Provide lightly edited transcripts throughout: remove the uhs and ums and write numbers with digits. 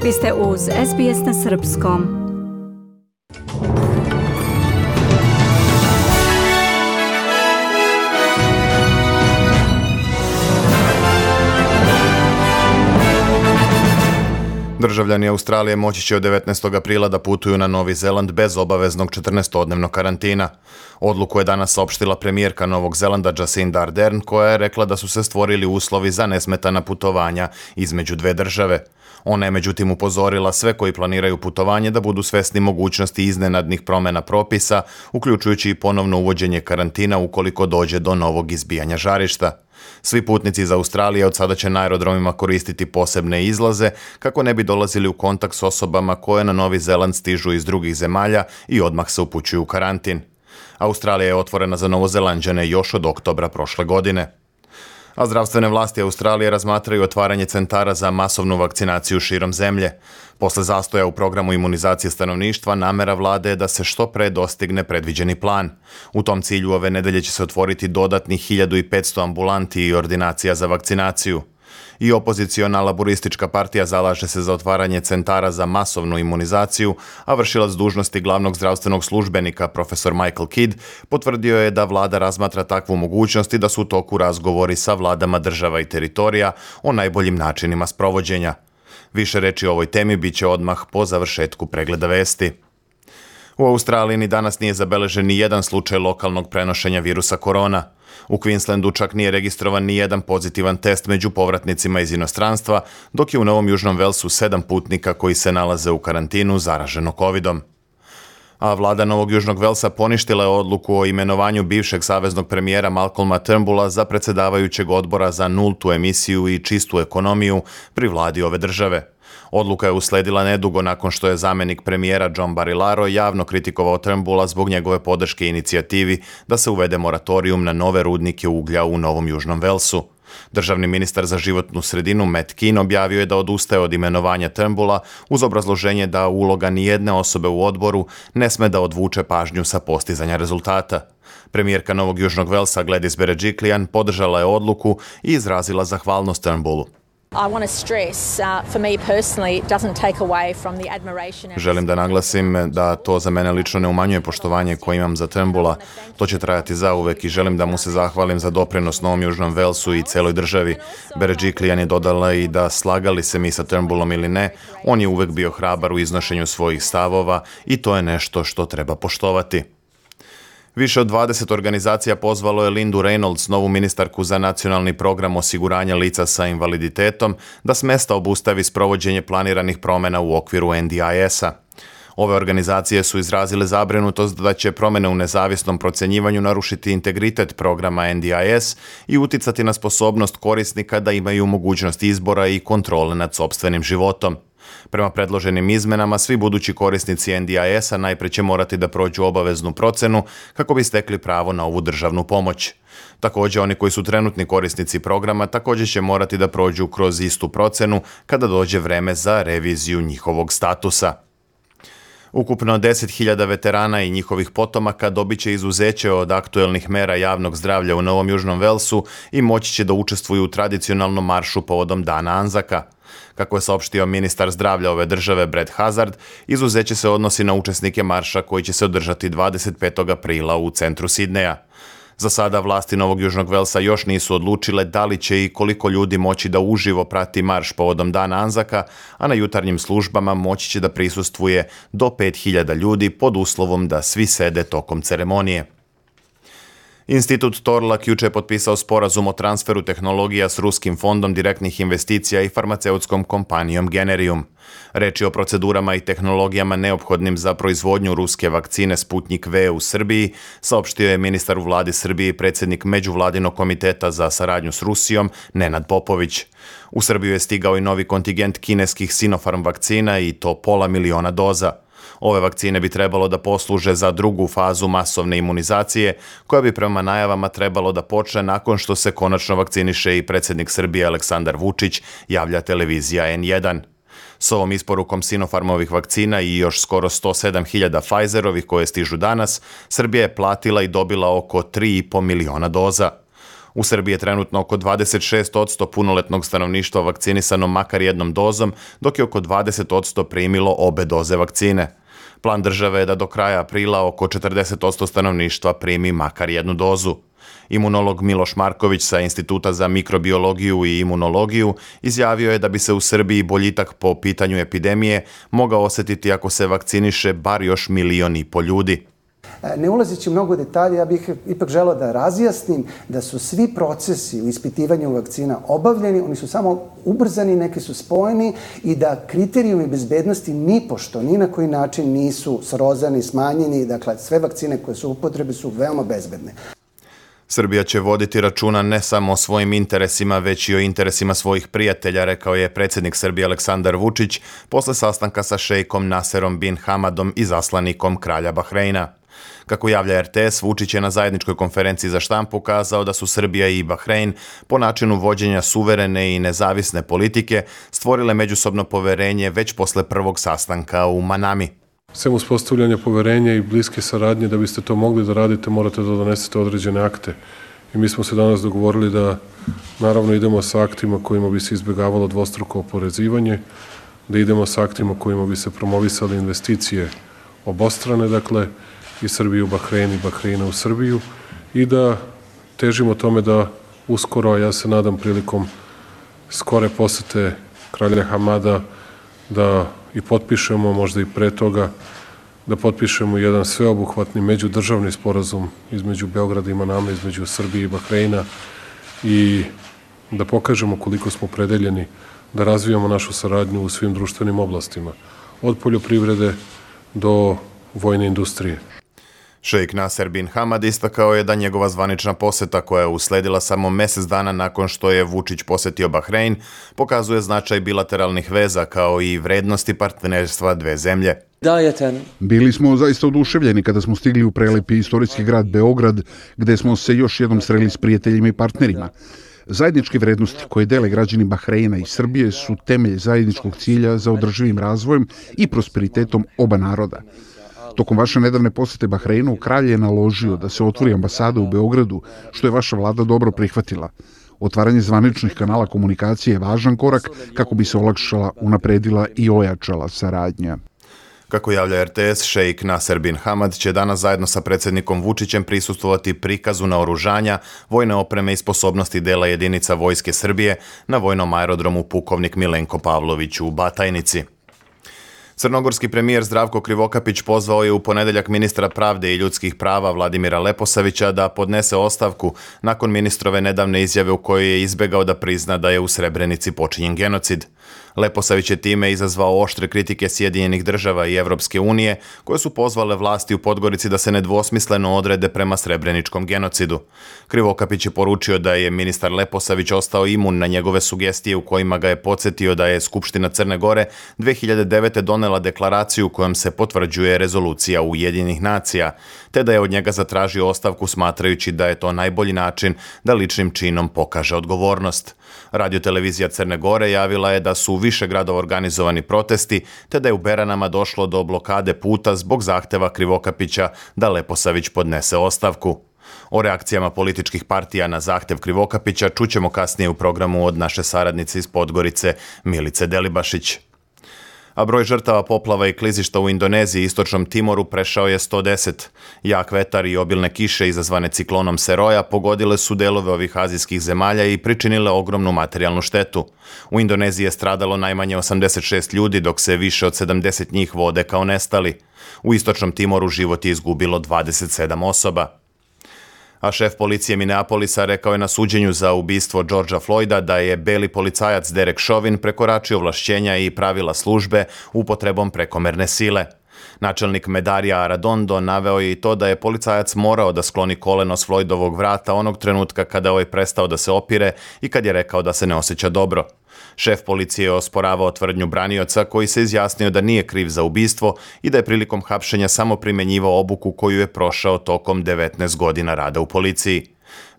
Vi ste uz SBS na srpskom. Državljani Australije moći će od 19. aprila da putuju na Novi Zeland bez obaveznog 14-dnevnog karantina. Odluku je danas saopštila premijerka Novog Zelanda Jacinda Ardern, koja je rekla da su se stvorili uslovi za nesmetana putovanja između dve države. Ona je međutim upozorila sve koji planiraju putovanje da budu svesni mogućnosti iznenadnih promjena propisa, uključujući i ponovno uvođenje karantina ukoliko dođe do novog izbijanja žarišta. Svi putnici iz Australije od sada će na aerodromima koristiti posebne izlaze kako ne bi dolazili u kontakt s osobama koje na Novi Zeland stižu iz drugih zemalja i odmah se upućuju u karantin. Australija je otvorena za Novozelanđane još od oktobra prošle godine. A zdravstvene vlasti Australije razmatraju otvaranje centara za masovnu vakcinaciju širom zemlje. Posle zastoja u programu imunizacije stanovništva, namera vlade je da se što pre dostigne predviđeni plan. U tom cilju ove nedelje će se otvoriti dodatnih 1500 ambulanti i ordinacija za vakcinaciju. I opoziciona laboristička partija zalaže se za otvaranje centara za masovnu imunizaciju, a vršilac dužnosti glavnog zdravstvenog službenika, profesor Michael Kidd, potvrdio je da vlada razmatra takvu mogućnost i da su u toku razgovori sa vladama država i teritorija o najboljim načinima sprovođenja. Više reči o ovoj temi bit će odmah po završetku pregleda vesti. U Australiji ni danas nije zabeležen ni jedan slučaj lokalnog prenošenja virusa korona. U Queenslandu čak nije registrovan ni jedan pozitivan test među povratnicima iz inostranstva, dok je u Novom Južnom Velsu 7 putnika koji se nalaze u karantinu zaraženo covidom. A vlada Novog Južnog Velsa poništila je odluku o imenovanju bivšeg saveznog premijera Malcolma Turnbulla za predsjedavajućeg odbora za nultu emisiju i čistu ekonomiju pri vladi ove države. Odluka je usledila nedugo nakon što je zamjenik premijera John Barilaro javno kritikovao Turnbulla zbog njegove podrške inicijativi da se uvede moratorijum na nove rudnike uglja u Novom Južnom Velsu. Državni ministar za životnu sredinu Matt Keane objavio je da odustaje od imenovanja Turnbulla uz obrazloženje da uloga nijedne osobe u odboru ne sme da odvuče pažnju sa postizanja rezultata. Premijerka Novog Južnog Velsa Gladys Berejiklian podržala je odluku i izrazila zahvalnost Turnbullu. Želim da naglasim da to za mene lično ne umanjuje poštovanje koje imam za Turnbulla. To će trajati zauvek i želim da mu se zahvalim za doprinos Novom Južnom Velsu i celoj državi. Berejiklian je dodala i da slagali se mi sa Turnbullom ili ne, on je uvek bio hrabar u iznošenju svojih stavova i to je nešto što treba poštovati. Više od 20 organizacija pozvalo je Lindu Reynolds, novu ministarku za nacionalni program osiguranja lica sa invaliditetom, da s mesta obustavi sprovođenje planiranih promjena u okviru NDIS-a. Ove organizacije su izrazile zabrinutost da će promjene u nezavisnom procjenjivanju narušiti integritet programa NDIS i uticati na sposobnost korisnika da imaju mogućnost izbora i kontrole nad sopstvenim životom. Prema predloženim izmenama, svi budući korisnici NDIS-a najprije će morati da prođu obaveznu procenu kako bi stekli pravo na ovu državnu pomoć. Također, oni koji su trenutni korisnici programa također će morati da prođu kroz istu procenu kada dođe vreme za reviziju njihovog statusa. Ukupno 10.000 veterana i njihovih potomaka dobit će izuzeće od aktuelnih mera javnog zdravlja u Novom Južnom Velsu i moći će da učestvuju u tradicionalnom maršu povodom Dana Anzaka. Kako je saopštio ministar zdravlja ove države Brad Hazard, izuzeće se odnosi na učesnike marša koji će se održati 25. aprila u centru Sidneja. Za sada vlasti Novog Južnog Velsa još nisu odlučile da li će i koliko ljudi moći da uživo prati marš povodom Dana Anzaka, a na jutarnjim službama moći će da prisustvuje do 5.000 ljudi pod uslovom da svi sede tokom ceremonije. Institut Torlak juče je potpisao sporazum o transferu tehnologija s Ruskim fondom direktnih investicija i farmaceutskom kompanijom Generium. Reč je o procedurama i tehnologijama neophodnim za proizvodnju ruske vakcine Sputnik V u Srbiji, saopštio je ministar u vladi Srbije i predsjednik Međuvladinog komiteta za saradnju s Rusijom Nenad Popović. U Srbiju je stigao i novi kontingent kineskih Sinopharm vakcina i to 500.000 doza. Ove vakcine bi trebalo da posluže za drugu fazu masovne imunizacije, koja bi prema najavama trebalo da počne nakon što se konačno vakciniše i predsjednik Srbije Aleksandar Vučić, javlja televizija N1. S ovom isporukom Sinopharmovih vakcina i još skoro 107.000 Pfizerovih koje stižu danas, Srbija je platila i dobila oko 3,5 miliona doza. U Srbiji je trenutno oko 26% punoletnog stanovništva vakcinisano makar jednom dozom, dok je oko 20% primilo obe doze vakcine. Plan države je da do kraja aprila oko 40% stanovništva primi makar jednu dozu. Imunolog Miloš Marković sa Instituta za mikrobiologiju i imunologiju izjavio je da bi se u Srbiji boljitak po pitanju epidemije mogao osjetiti ako se vakciniše bar još 1,5 miliona ljudi. Ne ulazeći u mnogo detalje, ja bih ipak želeo da razjasnim da su svi procesi u ispitivanju vakcina obavljeni, oni su samo ubrzani, neki su spojeni i da kriterijumi bezbednosti nipošto, ni na koji način nisu srozani, smanjeni, dakle sve vakcine koje su u upotrebi su veoma bezbedne. Srbija će voditi računa ne samo o svojim interesima, već i o interesima svojih prijatelja, rekao je predsjednik Srbije Aleksandar Vučić posle sastanka sa šejkom Naserom bin Hamadom i zaslanikom kralja Bahreina. Kako javlja RTS, Vučić je na zajedničkoj konferenciji za štampu kazao da su Srbija i Bahrein po načinu vođenja suverene i nezavisne politike stvorile međusobno poverenje već posle prvog sastanka u Manami. Sem uspostavljanja poverenja i bliske saradnje, da biste to mogli da radite, morate da donesete određene akte. I mi smo se danas dogovorili da naravno idemo sa aktima kojima bi se izbjegavalo dvostruko oporezivanje, da idemo sa aktima kojima bi se promovisale investicije obostrane, dakle, i Srbiju u Bahrein i Bahreina u Srbiju, i da težimo tome da uskoro, a ja se nadam prilikom skore posete kralja Hamada, da i potpišemo, možda i pre toga, da potpišemo jedan sveobuhvatni međudržavni sporazum između Beograda i Maname, između Srbije i Bahreina, i da pokažemo koliko smo predeljeni da razvijamo našu saradnju u svim društvenim oblastima, od poljoprivrede do vojne industrije. Šejk Naser bin Hamad istakao je da njegova zvanična poseta, koja je usledila samo mjesec dana nakon što je Vučić posetio Bahrein, pokazuje značaj bilateralnih veza kao i vrednosti partnerstva dve zemlje. Bili smo zaista oduševljeni kada smo stigli u prelepi istorijski grad Beograd, gde smo se još jednom sreli s prijateljima i partnerima. Zajedničke vrednosti koje dele građani Bahreina i Srbije su temelj zajedničkog cilja za održivim razvojem i prosperitetom oba naroda. Tokom vaše nedavne posete Bahreinu, kralj je naložio da se otvori ambasada u Beogradu, što je vaša vlada dobro prihvatila. Otvaranje zvaničnih kanala komunikacije je važan korak kako bi se olakšala, unapredila i ojačala saradnja. Kako javlja RTS, šejk Naser bin Hamad će danas zajedno sa predsjednikom Vučićem prisustvovati prikazu naoružanja, vojne opreme i sposobnosti dela jedinica Vojske Srbije na vojnom aerodromu Pukovnik Milenko Pavlović u Batajnici. Crnogorski premijer Zdravko Krivokapić pozvao je u ponedeljak ministra pravde i ljudskih prava Vladimira Leposavića da podnese ostavku nakon ministrove nedavne izjave u kojoj je izbegao da prizna da je u Srebrenici počinjen genocid. Leposavić je time izazvao oštre kritike Sjedinjenih država i Evropske unije, koje su pozvale vlasti u Podgorici da se nedvosmisleno odrede prema srebreničkom genocidu. Krivokapić je poručio da je ministar Leposavić ostao imun na njegove sugestije u kojima ga je podsjetio da je Skupština Crne Gore 2009. donela deklaraciju kojom se potvrđuje rezolucija Ujedinjenih nacija, te da je od njega zatražio ostavku smatrajući da je to najbolji način da ličnim činom pokaže odgovornost. Radiotelevizija Crne Gore javila je da su u više gradova organizovani protesti, te da je u Beranama došlo do blokade puta zbog zahteva Krivokapića da Leposavić podnese ostavku. O reakcijama političkih partija na zahtev Krivokapića čućemo kasnije u programu od naše saradnice iz Podgorice Milice Delibašić. A broj žrtava poplava i klizišta u Indoneziji i Istočnom Timoru prešao je 110. Jak vetar i obilne kiše izazvane ciklonom Seroja pogodile su delove ovih azijskih zemalja i pričinile ogromnu materijalnu štetu. U Indoneziji je stradalo najmanje 86 ljudi, dok se više od 70 njih vode kao nestali. U Istočnom Timoru život je izgubilo 27 osoba. A šef policije Minneapolisa rekao je na suđenju za ubistvo Georgea Floyda da je beli policajac Derek Chauvin prekoračio ovlašćenja i pravila službe upotrebom prekomerne sile. Načelnik Medarija Arradondo naveo je i to da je policajac morao da skloni koleno s Floydovog vrata onog trenutka kada je ovaj prestao da se opire i kad je rekao da se ne osjeća dobro. Šef policije je osporavao tvrdnju branioca koji se izjasnio da nije kriv za ubistvo i da je prilikom hapšenja samo primenjivao obuku koju je prošao tokom 19 godina rada u policiji.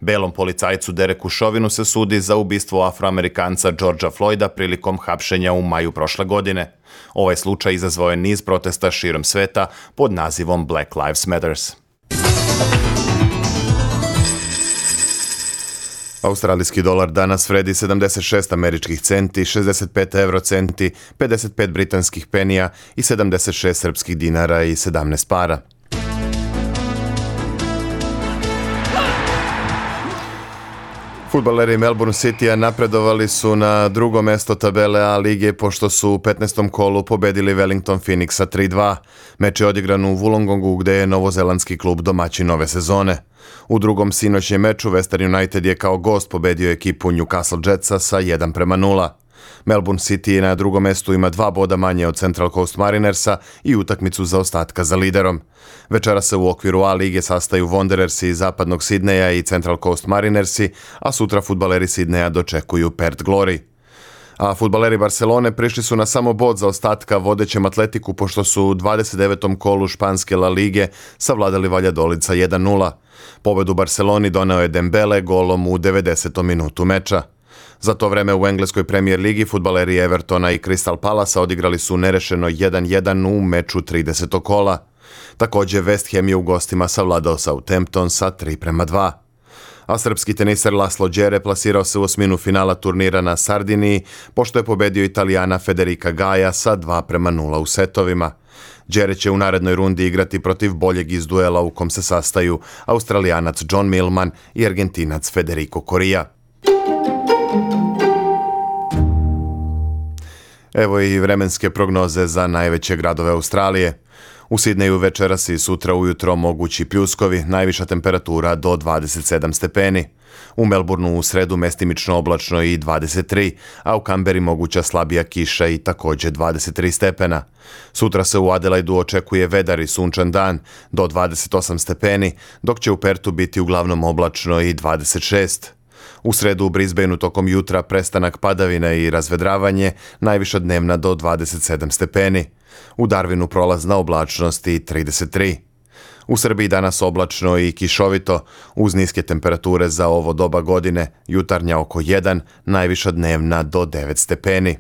Belom policajcu Dereku Chauvinu se sudi za ubistvo Afroamerikanca Georgea Floyda prilikom hapšenja u maju prošle godine. Ovaj slučaj izazvao je niz protesta širom sveta pod nazivom Black Lives Matters. Australijski dolar danas vredi 76 američkih centi, 65 eurocenti, 55 britanskih penija i 76 srpskih dinara i 17 para. Fudbaleri Melbourne Citya napredovali su na drugo mesto tabele A lige pošto su u 15. kolu pobedili Wellington Phoenixa 3-2. Meč je odigran u Wollongongu gde je novozelandski klub domaćin nove sezone. U drugom sinoćnjem meču Western United je kao gost pobedio ekipu Newcastle Jetsa sa 1-0. Melbourne City na drugom mestu ima 2 boda manje od Central Coast Marinersa i utakmicu zaostatka za liderom. Večera se u okviru A lige sastaju Wanderersi iz zapadnog Sidneja i Central Coast Marinersi, a sutra fudbaleri Sidneja dočekuju Perth Glory. A fudbaleri Barcelone prišli su na samo bod zaostatka vodećem Atletiku pošto su u 29. kolu španske La Lige savladali Valladolid sa 1-0. Pobedu Barceloni doneo je Dembele golom u 90. minutu meča. Za to vreme u engleskoj Premier ligi fudbaleri Evertona i Crystal Palasa odigrali su nerešeno 1-1 u meču 30. kola. Također West Ham je u gostima savladao Southampton sa 3-2. A srpski teniser Laslo Đere plasirao se u osminu finala turnira na Sardiniji pošto je pobedio Italijana Federica Gaja sa 2-0 u setovima. Đere će u narednoj rundi igrati protiv boljeg iz duela u kom se sastaju Australijanac John Millman i Argentinac Federico Coria. Evo i vremenske prognoze za najveće gradove Australije. U Sidneju večeras i sutra ujutro mogući pljuskovi, najviša temperatura do 27 stepeni. U Melbourneu u sredu mestimično oblačno i 23, a u Kamberi moguća slabija kiša i također 23 stepena. Sutra se u Adelaidu očekuje vedar i sunčan dan do 28 stepeni, dok će u Pertu biti uglavnom oblačno i 26. U sredu u Brisbaneu tokom jutra prestanak padavina i razvedravanje, najviša dnevna do 27 stepeni. U Darwinu prolazna oblačnost i 33. U Srbiji danas oblačno i kišovito, uz niske temperature za ovo doba godine, jutarnja oko 1, najviša dnevna do 9 stepeni.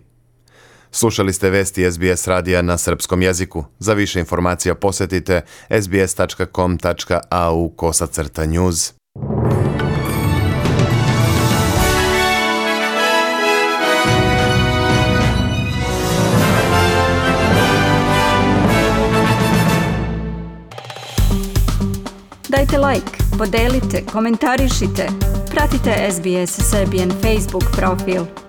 Slušali ste vesti SBS radija na srpskom jeziku. Za više informacija posjetite sbs.com.au/news. Dajte like, podelite, komentarišite. Pratite SBS Serbian Facebook profil.